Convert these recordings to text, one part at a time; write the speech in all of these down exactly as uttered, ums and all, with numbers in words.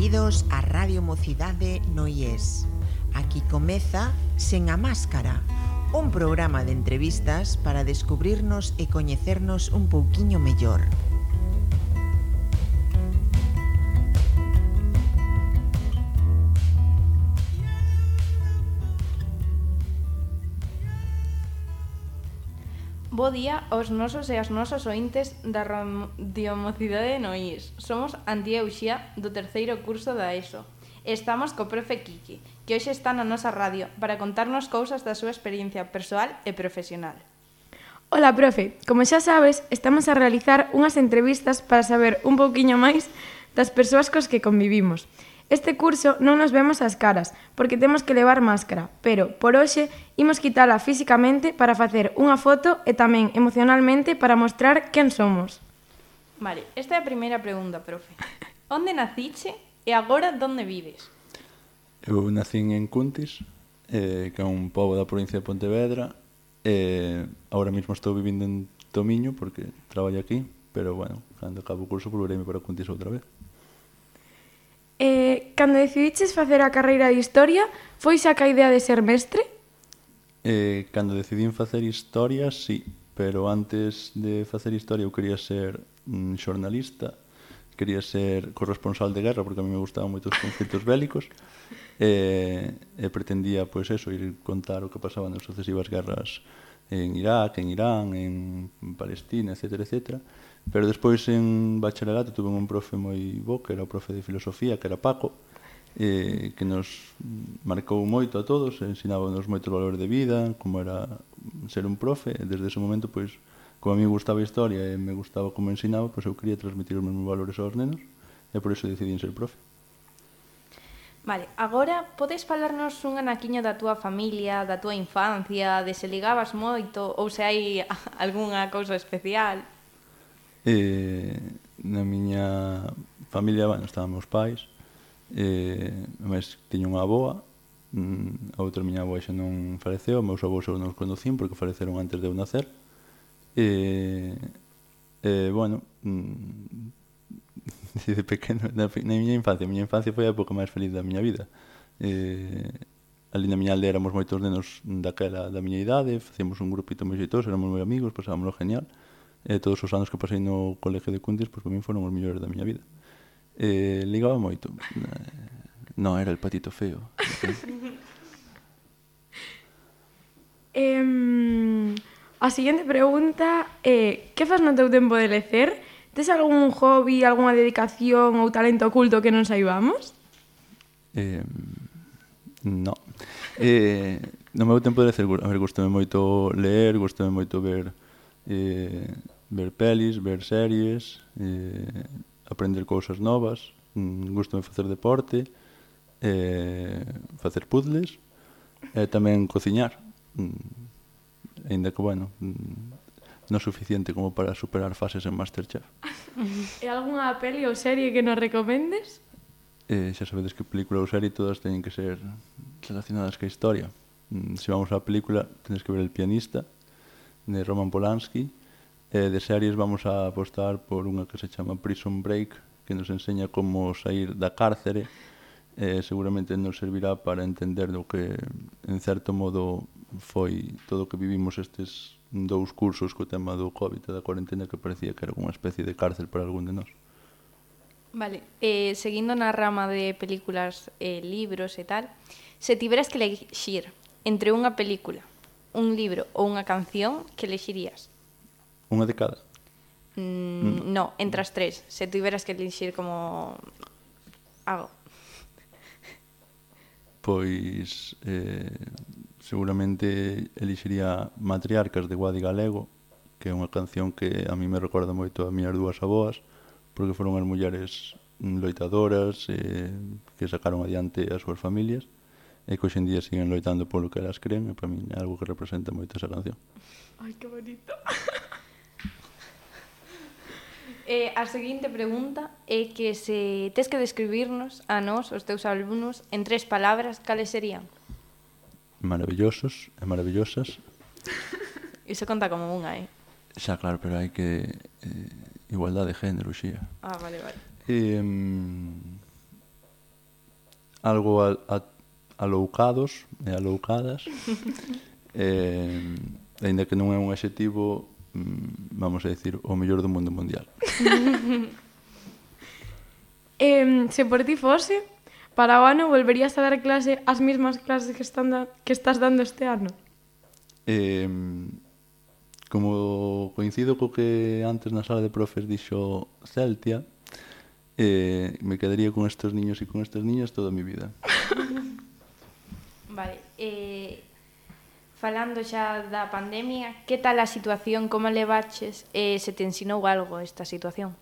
Benvidos a Radio Mocidade no I E S. Aquí comeza Sen a Máscara, un programa de entrevistas para descubrirnos e coñecernos un pouquiño mellor. Bo día aos nosos e as nosas ointes da Radio Mocidade no I E S. Somos Antía e Uxía do terceiro curso da ESO. E estamos co profe Kiki, que hoxe está na nosa radio para contarnos cousas da súa experiencia persoal e profesional. Ola, profe. Como xa sabes, estamos a realizar unhas entrevistas para saber un pouquiño máis das persoas cos que convivimos. Este curso non nos vemos as caras, porque temos que levar máscara, pero, por hoxe, imos quitala físicamente para facer unha foto e tamén emocionalmente para mostrar quen somos. Vale, esta é a primeira pregunta, profe. Onde naciche e agora onde vives? Eu nacín en Cuntis, eh, que é un pobo da provincia de Pontevedra, e agora mesmo estou vivindo en Tomiño, porque traballo aquí, pero, bueno, cando acabo o curso, volvereime para Cuntis outra vez. Eh, cando decidiches facer a carreira de Historia, foi xa ca idea de ser mestre? Eh, cando decidín facer Historia, sí, pero antes de facer Historia eu quería ser mm, xornalista, quería ser corresponsal de guerra, porque a mí me gustaban moito os conflitos bélicos, e, e pretendía, pois eso, ir contar o que pasaba nas sucesivas guerras en Irak, en Irán, en Palestina, etcétera, etcétera. Pero despois en bacharelato tuve un profe moi bo, que era o profe de filosofía, que era Paco, eh, que nos marcou moito a todos, ensinábanos moitos valores de vida, como era ser un profe, e desde ese momento, pois, como a mí me gustaba a historia e me gustaba como ensinaba, pois eu quería transmitir os mesmos valores aos nenos, e por iso decidín ser profe. Vale, agora podes falarnos un anaquiño da túa familia, da túa infancia, de se ligabas moito ou se hai algunha cousa especial? Eh, na miña familia, bueno, estaban meus pais, eh, mas tiña unha avoa, mm, a outra miña avoa xa non faleceu, meus avós eu non os conocín porque faleceron antes de eu nacer. E, eh, bueno, mm, de pequeno, na, na miña infancia, a miña infancia foi a época máis feliz da miña vida. Eh, ali na miña aldea éramos moitos nenos daquela da miña idade, facíamos un grupito moi xeitoso, éramos moi amigos, pasábamoslo genial. E todos os anos que pasei no colegio de Cuntis, pois, para mí foron os mellores da miña vida. Eh, ligaba moito. Non, era el patito feo. eh, a seguinte pregunta é: que fas no teu tempo de lecer? Tes algún hobby, algunha dedicación ou talento oculto que non saibamos? Eh, no. Eh, no meu tempo de lecer, a ver, gustame moito ler, gustame moito ver... Eh, ver pelis, ver series, eh, aprender cousas novas, mm, gustame facer deporte, eh, facer puzzles e tamén cociñar, mm, ainda que, bueno, mm, non suficiente como para superar fases en Masterchef. E algunha peli ou serie que nos recomendes? Eh, xa sabedes que película ou serie todas teñen que ser relacionadas ca historia. Mm, se vamos á película, tenes que ver El pianista, de Roman Polanski. E de series vamos a apostar por unha que se chama Prison Break, que nos enseña como sair da cárcere, e seguramente nos servirá para entender do que, en certo modo, foi todo o que vivimos estes dous cursos co tema do COVID e da cuarentena, que parecía que era unha especie de cárcel para algún de nós. Vale, eh, seguindo na rama de películas, eh, libros e tal, se tiveras que elexir entre unha película, un libro ou unha canción, que elexirías? Unha de cada? Mm, no, entre as tres. Se tiveras que elixir como algo. Pois eh, seguramente elixiría Matriarcas de Guadi Galego, que é unha canción que a mí me recorda moito a miñas dúas avoas, porque foron as mulleres loitadoras eh, que sacaron adiante as súas familias e que hoxe en día siguen loitando polo que elas creen, e para mí é algo que representa moito esa canción. Ai, que bonito. Eh, a seguinte pregunta é que se tes que describirnos a nós, os teus alumnos, en tres palabras, cales serían? Maravillosos e maravillosas. Iso conta como unha, eh? Xa, claro, pero hai que... Eh, igualdade de género, xía. Ah, vale, vale. Eh, algo a, a, aloucados e aloucadas. eh, ainda que non é un adxetivo, vamos a dicir, o mellor do mundo mundial. eh, se por ti fose, para o ano volverías a dar clase as mesmas clases que, están da, que estás dando este ano? Eh, como coincido co que antes na sala de profes dixo Celtia, eh, me quedaría con estes niños e con estas niñas toda a mi vida. Vale, eh, falando xa da pandemia, que tal a situación, como levaches, eh, se te ensinou algo esta situación?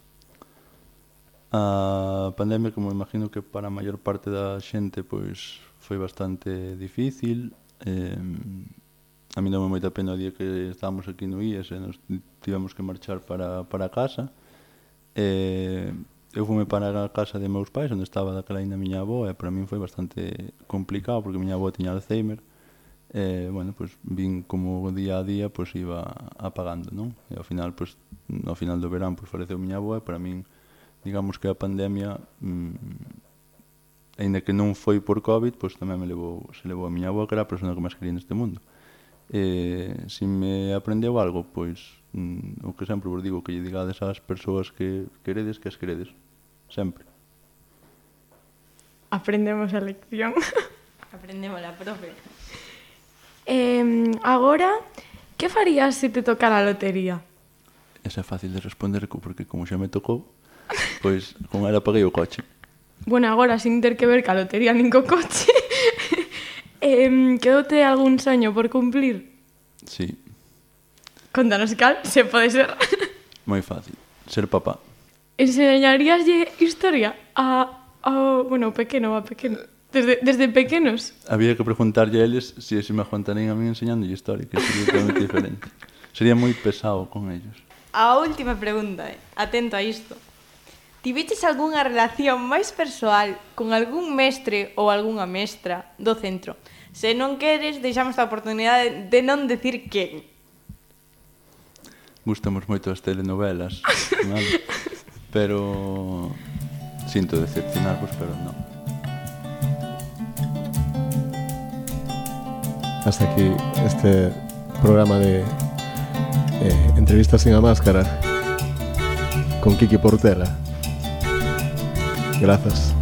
A pandemia, como imagino que para a maior parte da xente, pois foi bastante difícil. Eh, a mí dame moita pena o día que estábamos aquí no I E S e nos tivemos que marchar para, para casa. Eh, eu fume para a casa de meus pais, onde estaba daquela ainda a miña avó, e para min foi bastante complicado, porque a miña avó tiña Alzheimer. Eh, bueno, pues vin como día a día pues iba apagando, non? E ao final, pues, ao final do verán, pues faleceu miña avó, e para min, digamos que a pandemia, mmm, ainda que non foi por COVID, pues tamén me levou, se levou a miña avó, que era a persona que máis quería neste mundo. Eh, si me aprendeu algo, pois mm, o que sempre vos digo, que lle digades ás persoas que queredes, que as queredes, sempre. Aprendemos a lección. Aprendemos la profe. Eh, agora, que farías se te tocara a lotería? Esa é fácil de responder, porque como xa me tocou, pois con ela paguei o coche. Bueno, agora, sin ter que ver ca lotería nin co coche, eh, quedoute algún soño por cumplir? Sí. Contanos cal, se pode ser. Moi fácil, ser papá. Enseñaríaslle historia a, a bueno, pequeno, a pequeno, desde, desde pequenos? Había que preguntarlle a eles se si, si me aguantarían a mí enseñándolle historia, que sería totalmente diferente. Sería moi pesado con ellos. A última pregunta, eh? Atento a isto. Tiveches algunha relación máis persoal con algún mestre ou algunha mestra do centro? Se non queres, deixamos a oportunidade de non decir quen. Gustamos moito as telenovelas, vale? Pero sinto decepcionarvos, pero non. Hasta aquí este programa de eh, entrevistas sin a máscara con Kiki Portela. Gracias.